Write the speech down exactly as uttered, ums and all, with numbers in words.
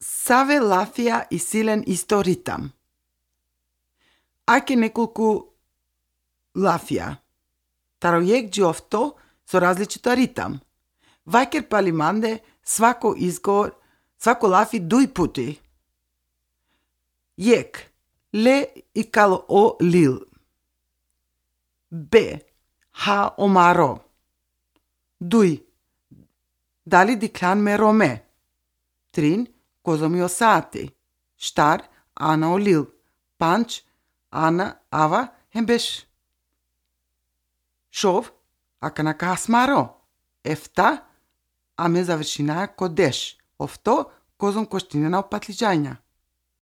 Саве лафија и силен исто ритам. Аке неколку лафија. Таројек џиофто со различита ритам. Вајкер палиманде свако изговор, свако лафи дуј пути. Јек, ле и кало о лил. Б, ха омаро. Дуј, дали диклан ме роме. Трин, козо ми осати. Штар, ана олил. Панч, ана ава хембеш. Шов, ака на касмаро. Ефта, аме завршинаја кодеш. Овто, козом коштине на опатлиџања.